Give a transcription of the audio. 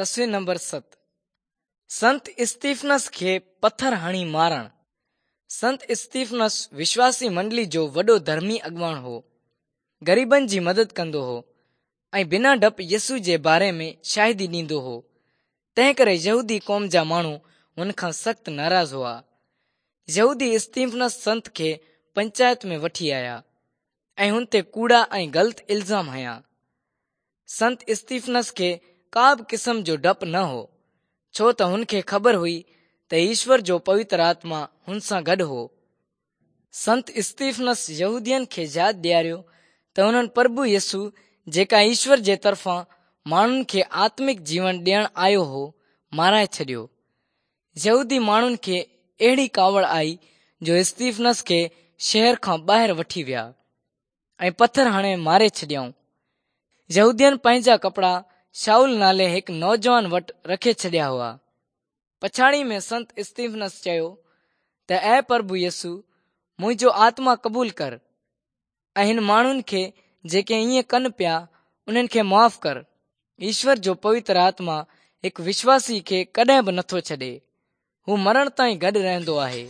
تصوير نمبر 7 سنت استيفنس کي پٿر هڻي مارڻ. سنت استيفنس وشواسي منڊلي جو وڏو ڌرمي اڳواڻ هو. غريبن جي مدد ڪندو هو ۽ بنا ڊپ يسوع جي باري ۾ شاهدي ڏيندو هو. تنهنڪري يهودي قوم جا ماڻهو هن کان سخت ناراض هئا. يهودي استيفنس سنت کي پنچائت ۾ وٺي آيا ۽ هن تي ڪوڙا ۽ غلط الزام هنيا. سنت استيفنس کي ڪا به قسم جو ڊپ نه هو، ڇو ته هن کي خبر هئي ته ايشور جو پوتر آتما هن سان گڏ هو. سنت استيفنس يهودين کي ياد ڏياريو ته انهن پرڀو يسوع جيڪا ايشور جي طرفان ماڻهن کي آتمڪ جيون ڏيڻ آيو هو، مارائي ڇڏيو. يهودي ماڻهن کي اهڙي ڪاوڙ آئي جو استيفنس کي شهر کان ٻاهر وٺي ويا. ۽ پٿر هڻي ماري ڇڏيائون. يهودين پنهنجا ڪپڙا شائول نالي هڪ نوجوان وٽ رکي ڇڏيا هئا. پڇاڙي ۾ سنت استيفنس چيو ته اي پرڀو يسوع، منهنجو آتما قبول ڪر ۽ هن ماڻهن کي جيڪي ائين ڪن پيا، انهن کي معاف ڪر. ايشور جو پوتر آتما هڪ وشواسي کي ڪڏهن به نٿو ڇڏي. هو مرڻ تائين گڏ رهندو آهي.